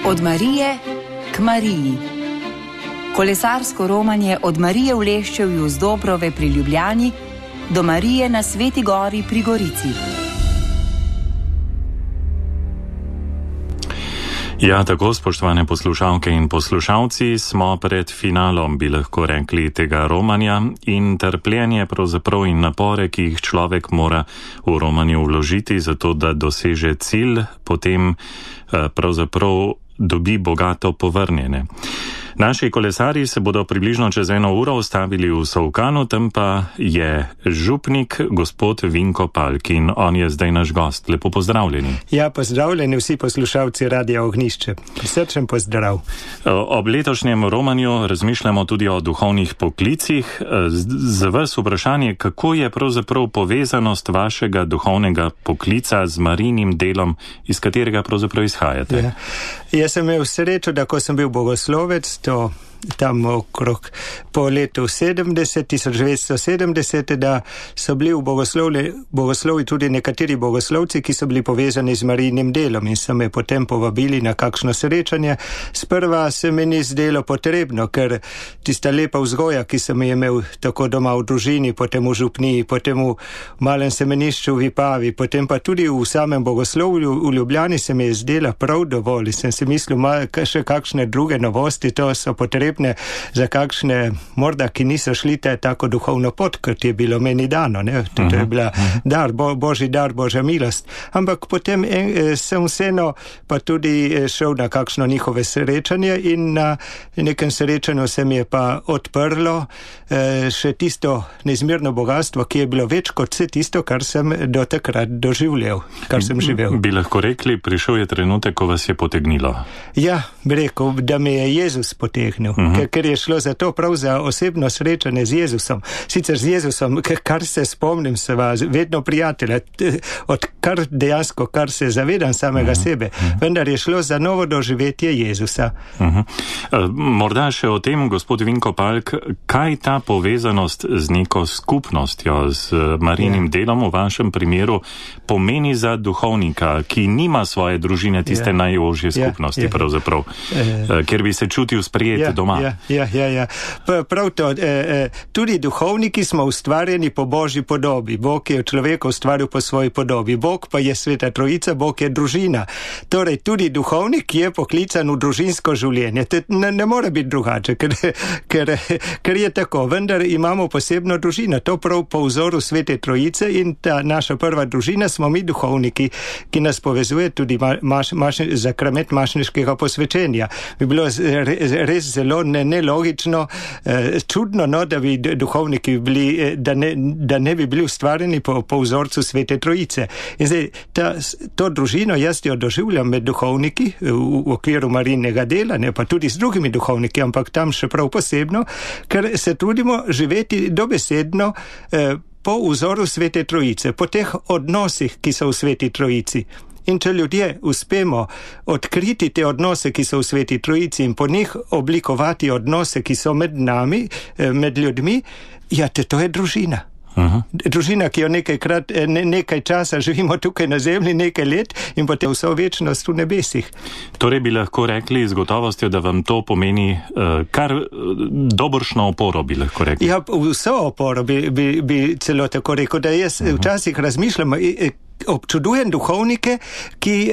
Od Marije k Mariji. Kolesarsko romanje od Marije v Leščevju z Dobrove pri Ljubljani do Marije na Sveti Gori pri Gorici. Ja, tako, spoštovane poslušalke in poslušalci, smo pred finalom, bi lahko rekli, tega romanja in trpljenje pravzaprav in napore, ki jih človek mora v romanju vložiti, zato da doseže cilj, potem pravzaprav dobi bogato povrnjene. Naši kolesarji se bodo približno čez 1 uro ustavili v Solkanu, tam pa je župnik gospod Vinko Palk in on je zdaj naš gost. Lepo pozdravljeni. Ja, pozdravljeni vsi poslušalci Radia Ognjišče. Srčen pozdrav. Ob letošnjem romanju razmišljamo tudi o duhovnih poklicih. Za vas vprašanje, kako je pravzaprav povezanost vašega duhovnega poklica z Marijinim delom, iz katerega pravzaprav izhajate? Ja. Jaz sem imel srečo, da ko sem bil bogoslovec, to tam okrog po letu 1970, da so bili v bogoslovi tudi nekateri bogoslovci, ki so bili povezani z Marijinim delom in so me potem povabili na kakšno srečanje. Sprva se mi ni zdelo potrebno, ker tista lepa vzgoja, ki sem je imel tako doma v družini, potem v župniji, potem v malem semenišču v Vipavi, potem pa tudi v samem bogoslovju v Ljubljani se mi je zdela prav dovolj. Sem si mislil, še kakšne druge novosti, to so potrebne za kakšne, morda, ki niso šli tako duhovno pot, kot je bilo meni dano. To je bila dar, božji dar, božja milost. Ampak potem sem vseeno pa tudi šel na kakšno njihove srečanje in na nekem srečanju se mi je pa odprlo še tisto neizmerno bogatstvo, ki je bilo več kot vse tisto, kar sem do takrat doživljal, kar sem živel. Bi lahko rekli, prišel je trenutek, ko vas je potegnilo? Ja, bi rekel, da me je Jezus potegnil. Ker je šlo za to prav za osebno srečanje z Jezusom. Sicer z Jezusom, kar se spomnim, se vas vedno prijatelja, odkar dejansko, kar se zavedam samega sebe, vendar je šlo za novo doživetje Jezusa. Morda še o tem, gospod Vinko Palk, kaj ta povezanost z neko skupnostjo, z Marijinim delom v vašem primeru pomeni za duhovnika, ki nima svoje družine, tiste najožje skupnosti pravzaprav, ker bi se čutil sprejet doma. Ja. Prav to, tudi duhovniki smo ustvarjeni po Božji podobi. Bog je človeka ustvaril po svoji podobi. Bog pa je Sveta Trojica, Bog je družina. Torej, tudi duhovnik je poklican v družinsko življenje. Ne more biti drugače, ker je tako. Vendar imamo posebno družino. To prav po vzoru Svete Trojice in ta naša prva družina smo mi duhovniki, ki nas povezuje tudi zakrament mašniškega posvečenja. Bi bilo res zelo nelogično, čudno, da bi duhovniki bili, da ne bi bili ustvarjeni po vzorcu Svete Trojice. In zdaj, to družino jaz jo doživljam med duhovniki v okviru Marijinega dela, ne pa tudi s drugimi duhovniki, ampak tam še prav posebno, ker se trudimo živeti dobesedno po vzoru Svete Trojice, po teh odnosih, ki so v Sveti Trojici. In če ljudje uspemo odkriti te odnose, ki so v Sveti Trojici in po njih oblikovati odnose, ki so med nami, med ljudmi, ja, to je družina. Družina, ki jo nekaj časa živimo tukaj na zemlji, nekaj let in potem vso večnost v nebesih. Torej bi lahko rekli z gotovostjo, da vam to pomeni kar dobršno oporo, bi lahko rekli. Ja, vso oporo bi celo tako rekel, da jaz včasih razmišljam, občudujem duhovnike, ki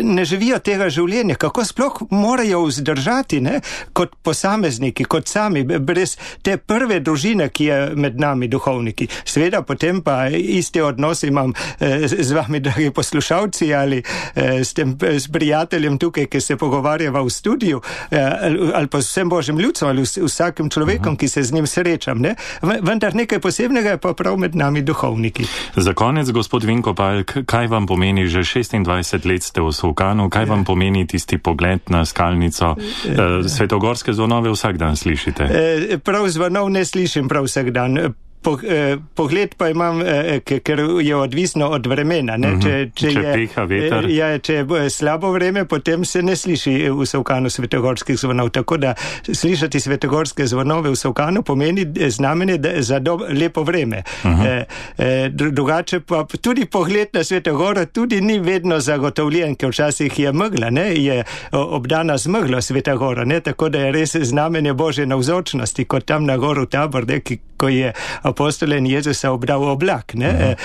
ne živijo tega življenja, kako sploh morajo vzdržati, kot posamezniki, kot sami, brez te prve družine, ki je med nami duhovniki. Seveda potem pa iste odnose imam z vami, dragi poslušalci, ali s prijateljem tukaj, ki se pogovarjava v studiu, ali pa s vsem Božjim ljudstvom, ali vsakim človekom, ki se z njim srečam. Vendar nekaj posebnega je pa prav med nami duhovniki. Za konec, gospod Vinko Palk, kaj vam pomeni, že 26 let ste v Solkanu, kaj vam pomeni tisti pogled na skalnico? Svetogorske zvonove vsak dan slišite? Prav zvonov ne slišim prav vsak dan. pogled pa imam, ker je odvisno od vremena. Ne? Če piha veter. Če je slabo vreme, potem se ne sliši v Solkanu svetogorskih zvonov. Tako da slišati svetogorske zvonove v Solkanu pomeni znamenje za lepo vreme. Drugače pa tudi pogled na Svetogoro tudi ni vedno zagotovljen, ker včasih je megla, ne? Je obdana z meglo Svetogora, ne? Tako da je res znamenje Božje navzočnosti, kot tam na goru Tabor, ne? Ko je apostolen Jezusa obdal oblak, ne?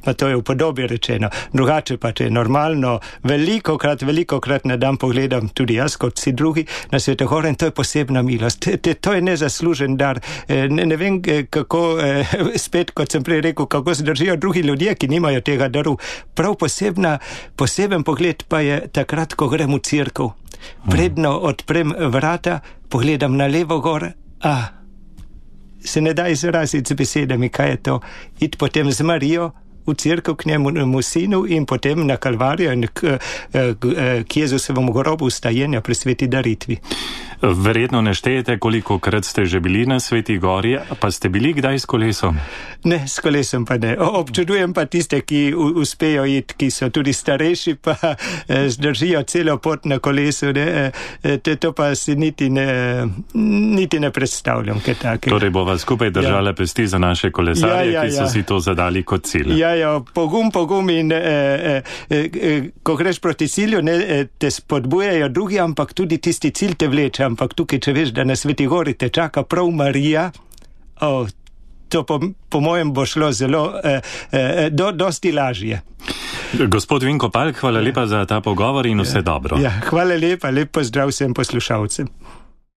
Pa to je v podobi rečeno. Drugače pa, če je normalno, velikokrat na dan pogledam tudi jaz, kot vsi drugi, na Svetogoro, in to je posebna milost. To je nezaslužen dar. Ne vem, kako, spet, kot sem prej rekel, kako se držijo drugi ljudje, ki nimajo tega daru. Prav poseben pogled pa je takrat, ko grem v cerkev. Predno odprem vrata, pogledam na levo gor, se ne da izraziti z besedami, kaj je to. Iti potem z Marijo v cerkev k njemu sinu in potem na Kalvarijo in k Jezusovemu grobu vstajenja pri sveti daritvi. Verjetno ne štejete, kolikokrat ste že bili na Sveti gori, pa ste bili kdaj s kolesom? Ne, s kolesom pa ne. Občudujem pa tiste, ki uspejo iti, ki so tudi starejši, pa zdržijo celo pot na kolesu. To pa si niti ne predstavljam, kaj take. Torej bova skupaj držala pesti za naše kolesarje, ki so si to zadali kot cilj. Pogum in ko greš proti cilju, te spodbujajo drugi, ampak tudi tisti cilj te vleče. Ampak tukaj, če veš, da na Sveti gori te čaka prav Marija, to po mojem bo šlo zelo dosti lažje. Gospod Vinko Palk, hvala lepa za ta pogovor in vse dobro. Hvala lepa, lep pozdrav vsem poslušalcem.